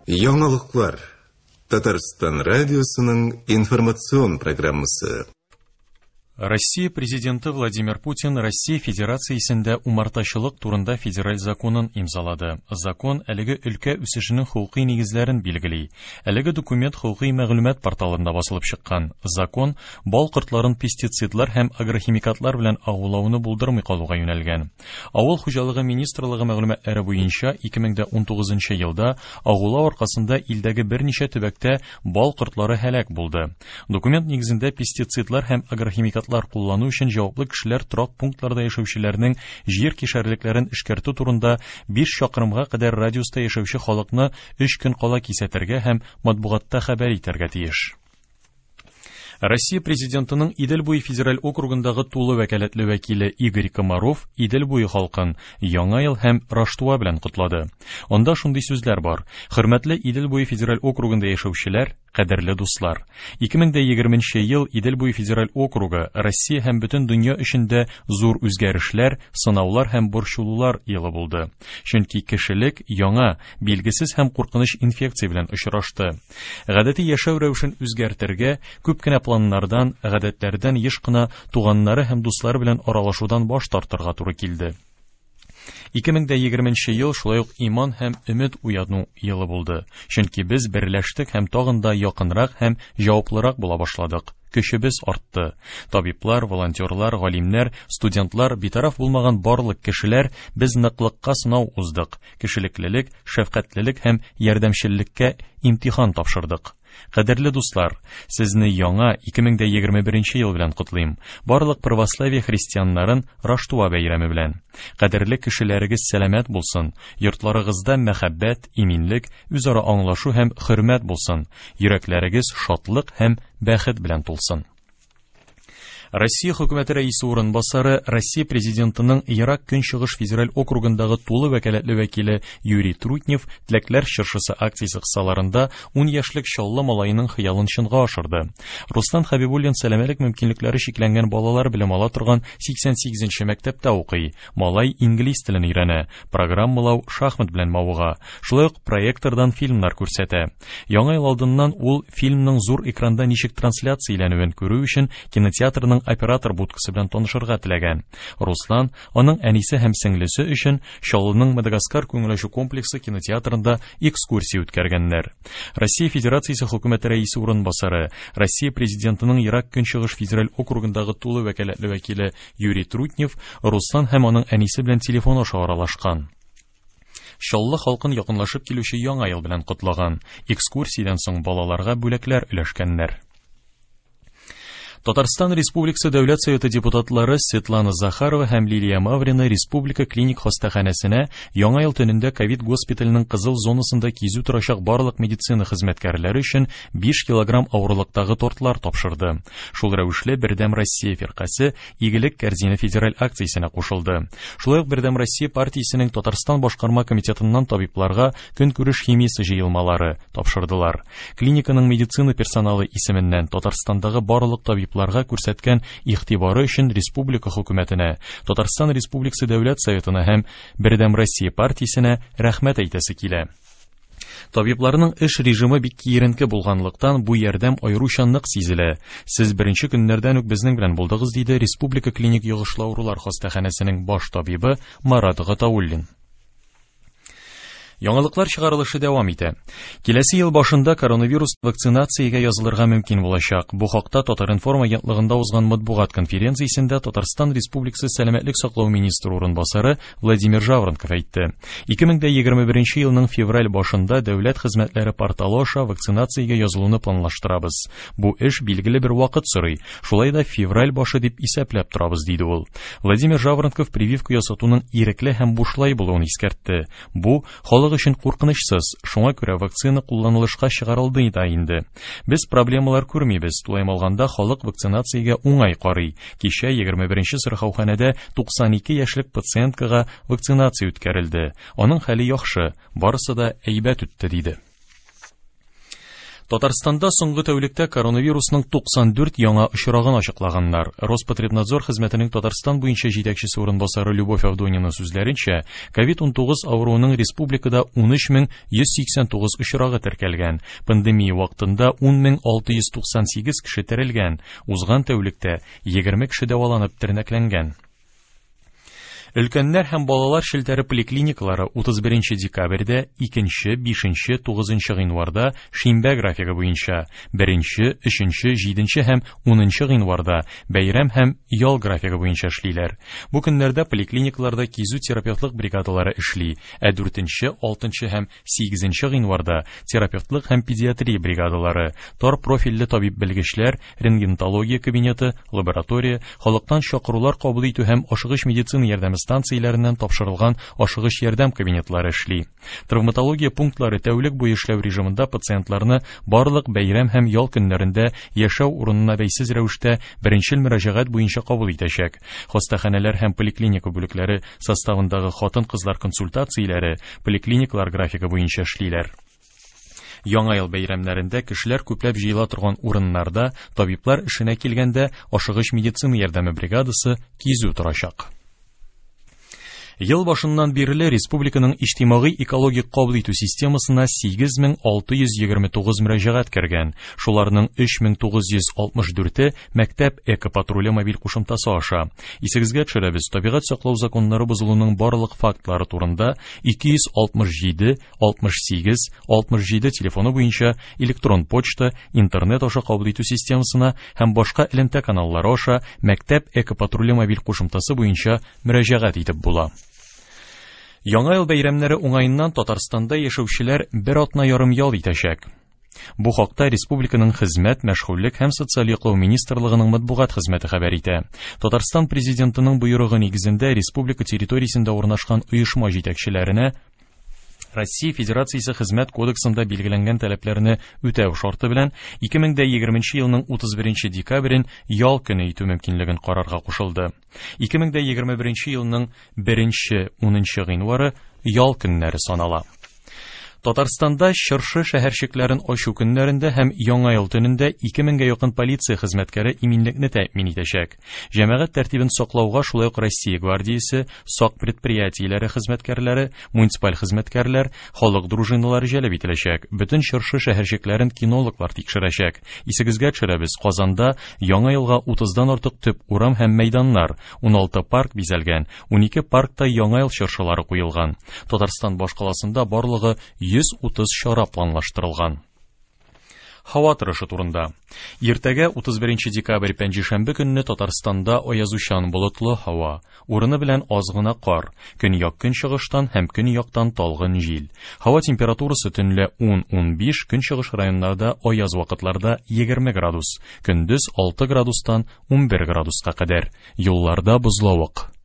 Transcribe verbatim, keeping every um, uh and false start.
Яңалыклар. Татарстан радиосының информацион программасы. Россия президенты Владимир Путин Россия Федерациясендә умартачылык турында федераль законын имзалады. Закон әлеге өлкә үсешенең хокукый нигезләрен билгели. Әлеге документ хокукый мәгълүмат порталында басылып чыккан. Закон бал кортларын пестицидлар һәм агрохимикатлар белән агулауны булдырмый калуга юнәлгән. Авыл хуҗалыгы министрлыгы мәгълүматлары буенча ике мең дә унтугызынчы елда агулау аркасында илдәге берничә төбәктә бал кортлары һәлак булды. Документ нигезендә пестицидлар һәм агрохимикатлар куллану өчен җаваплы кешеләр торак пунктларда яшәүчеләрнең җир кишәрлекләрен эшкәртү турында биш чакрымга кадәр радиуста яшәүче халыкны өч көн кала кисәтергә һәм матбугатта хәбәр итәргә тиеш. Россия президентының Идел буе федераль округындагы тулы вәкаләтле вәкиле Игорь Комаров Идел буе халкын Яңа ел һәм Раштуа белән котлады. Анда шундый сүзләр бар: Хөрмәтле Идел буе федераль округында яшәүчеләр, кадерле дуслар. Ике мең дә егерменче ел Идел буе федераль округы Россия һәм бөтен дөнья өчен дә зур үзгәрешләр, сынаулар һәм борчылулар елы булды. Чөнки кешелек яңа, билгесез һәм куркыныч инфекция белән очрашты. Гадәти яшәү рәвешен үзгәртергә, күп кенә планнардан, гадәтләрдән еш кына туганнары һәм дуслары белән аралашудан баш тартырга туры килде. Ике мең дә егерменче ел шулай ук иман һәм өмет уяну елы булды. Чөнки без берләштек һәм тагын да якынрак һәм җаваплырак була башладык. Көчебез артты. Табиблар, волонтерлар, галимнәр, студентлар, битараф булмаган барлык кешеләр без ныклыкка сынау уздык. Кешелеклелек, шәфкатьлелек һәм ярдәмчеллеккә имтихан тапшырдык. Кадерле дуслар, сезне яңа ике мең дә егерме беренче ел белән котлыйм. Барлык православие христианнарын Раштуа бәйрәме белән. Кадерле кешеләрегез сәламәт булсын, йортларыгызда мәхәббәт, иминлек, үзара аңлашу һәм хөрмәт булсын, йөрәкләрегез шатлык һәм бәхет белән тулсын. Россия хөкүмәте рәисе урынбасары, Россия президентының Ерак Көнчыгыш федераль округындагы тулы вәкаләтле вәкиле Юрий Трутнев Теләкләр чыршысы акциясе кысаларында ун яшьлек Чаллы малаеның хыялын чынга ашырды. Руслан Хабибуллин сәламәтлек мөмкинлекләре чикләнгән балалар белем ала торган сиксән сигезенче мәктәптә укый. Малай инглиз телен өйрәнә, программалау, шахмат белән мавыга, шулай ук проектордан фильмнар күрсәтә. Яңа ел алдыннан ул фильмның зур экранда ничек трансляцияләнүен күрү өчен кинотеатрның оператор будкасы белән танышырга теләгән. Руслан аның әнисе һәм сеңлесе өчен Чаллының Мадагаскар күңел ачу комплексы кинотеатрында экскурсия үткәргәннәр. Россия Федерациясе хөкүмәте рәисе урынбасары, Россия президентының Ерак Көнчыгыш федераль округындагы тулы вәкаләтле вәкиле Юрий Трутнев Руслан һәм аның әнисе белән телефон аша аралашкан. Чаллы халкын якынлашып килүче Яңа ел белән котлаган. Экскурсиядән соң балаларга бүләкләр өләшкәннәр. Татарстан Республикасы Дәүләт Советы депутатлары Светлана Захарова һәм Лилия Маврина Республика клиник хастаханәсенә Яңа ел төнендә ковид госпиталенең кызыл зонасында кизү торачак барлык медицина хезмәткәрләре өчен биш килограмм авырлыктагы тортлар тапшырды. Шул рәвешле Бердәм Россия фиркасе Игелек корзина федераль акциясенә кушылды. Шулай ук Бердәм Россия партиясенең Татарстан башкарма комитетыннан табибларга көнкүреш химиясе җыелмалары тапшырдылар. Клиниканың медицина персоналы исеменнән Татарстандагы барлык табиблар ларга күрсәткән игътибары өчен республика хөкүмәтенә, Татарстан Республикасы Дәүләт Советына һәм Бердәм Россия партиясенә рәхмәт әйтәсе килә. Табибларның эш режимы бик киеренке булганлыктан бу ярдәм аеруча нык сизелә. Сез беренче көннәрдән үк безнең белән булдыгыз, диде Республика клиник йогышлы авырулар хастаханәсенең баш табибы Марат Гатауллин. Яңалыклар чыгарылышы дәвам итә. Киләсе ел башында коронавирус вакцинациягә язылырга мөмкин булачак. Бу хакта Татар-информ агентлыгында узган матбугат конференциясендә Татарстан Республикасы сәламәтлек саклау министры урынбасары Владимир Жаворонков әйтте. Ике мең дә егерме беренче елның февраль башында дәүләт хезмәтләре порталы аша вакцинациягә язылуны планлаштырабыз. Бу эш билгеле бер вакыт сорый. Шулай да февраль башы дип исәпләп торабыз, диде ул. Владимир Жаворонков прививка ясатуның ирекле һәм бушлай булуын искәртте. Бу халык өчен куркынычсыз, шуңа күрә вакцина кулланылышка чыгарылды да инде. Без проблемалар күрмибез, тулаем алганда халык вакцинациягә уңай карый. Кичә егерме беренче сырхауханәдә туксан ике яшьлек пациенткага вакцинация үткәрелде. Аның хәле яхшы, барысы да әйбәт үтте, диде. Татарстанда соңгы тәүлектә коронавирусның туксан дүрт яңа очрагын ачыклаганнар. Роспотребнадзор хезмәтенең Татарстан буенча җитәкчесе урынбасары Любовь Авдонина сүзләренчә, ковид унтугыз авыруының республикада ун өч мең йөз сиксән тугыз очрагы теркәлгән. Пандемия вакытында ун мең алты йөз туксан сигез кеше терелгән. Узган тәүлектә егерме кеше дәваланып тернәкләнгән. Өлкәннәр һәм балалар челтәре поликлиникалары утыз беренче декабрьдә, икенче, бишенче, тугызынчы гыйнварда шимбә графигы буенча, беренче, өченче, җиденче һәм унынчы гыйнварда бәйрәм һәм ял графигы буенча эшлиләр. Бу көннәрдә поликлиникаларда кизү терапевтлык бригадалары эшли, ә дүртенче, алтынчы һәм сигезенче гыйнварда терапевтлык һәм педиатрия бригадалары, тар профильле табиб белгечләр, рентгенология кабинеты, лаборатория, халыктан чакырулар кабул итү һәм ашыгыч медицина ярдәме станцияләреннән тапшырылган ашыгыч ярдәм кабинетлары эшли. Травматология пунктлары тәүлек буе эшләү режимында пациентларны барлык бәйрәм һәм ял көннәрендә яшәү урынына бәйсез рәвештә беренчел мөрәҗәгать буенча кабул итәчәк. Хастаханәләр һәм поликлиника бүлекләре составындагы хатын-кызлар консультацияләре поликлиникалар графигы буенча эшлиләр. Яңа ел бәйрәмнәрендә кешеләр күпләп җыела торган урыннарда табиблар эшенә килгәндә ашыгыч медицина ярдәме бригадасы кизү торачак. Ел башыннан бирле республиканың иҗтимагый экологик кабул итү системасына сигез мең алты йөз егерме тугыз мөрәҗәгать кергән. Шуларның өч мең тугыз йөз алтмыш дүрте мәктәп экопатруле мобиль кушымтасы аша. Исегезгә төшерәбез, табигать саклау законнары бозылуның барлык фактлары турында ике йөз алтмыш җиде, алтмыш сигез, алтмыш җиде телефоны буенча электрон почта, интернет аша кабул итү системасына һәм башка элемтә каналлары аша мәктәп экопатруле мобиль кушымтасы буенча мөрәҗәгать итеп була. Яңа ел бәйрәмнәре уңаеннан Татарстанда яшәүчеләр бер атна ярым ял итәчәк. Бу хакта республиканың хезмәт, мәшгульлек һәм социаль яклау министрлыгының матбугат хезмәте хәбәр итә. Татарстан президентының боерыгы нигезендә республика территориясендә урнашкан оешма җитәкчеләренә Россия Федерациясе Хезмәт кодексында билгеләнгән таләпләрне үтәү шарты белән ике мең дә егерменче елның утыз беренче декабрен ял көне итү мөмкинлеген карарга кушылды. Ике мең дә егерме беренче елның беренче унынчы гыйнвары ял көннәре санала. Татарстанда чыршы шәһәрчекләрен ачу көннәрендә һәм Яңа ел төнендә ике меңгә якын полиция хезмәткәре иминлекне тәэмин итәчәк. Җәмәгать тәртибен саклауга шулай ук Россия гвардиясе, сак предприятиеләре хезмәткәрләре, муниципаль хезмәткәрләр, халык дружиналары җәлеп ителәчәк. Бөтен чыршы шәһәрчекләрен кинологлар тикшерәчәк. Исегезгә төшерәбез, Казанда Яңа елга утыздан артык төп урам һәм мәйданнар, уналты парк бизәлгән, унике паркта Яңа ел чыршылары куелган. Татарстан башкаласында барлыгы йөз утыз чара планлаштырылган. Һава торышы турында. Иртәгә утыз беренче декабрь пәнҗешәмбе көнне Татарстанда аязучан болытлы һава, урыны белән аз гына кар, көньяк көнчыгыштан һәм көньяктан талгын җил. Һава температурасы төнлә ун-ун биш, көнчыгыш районнарда аяз вакытларда егерме градус, көндез алты градустан унбер градуска кадәр. Юлларда бозлавык.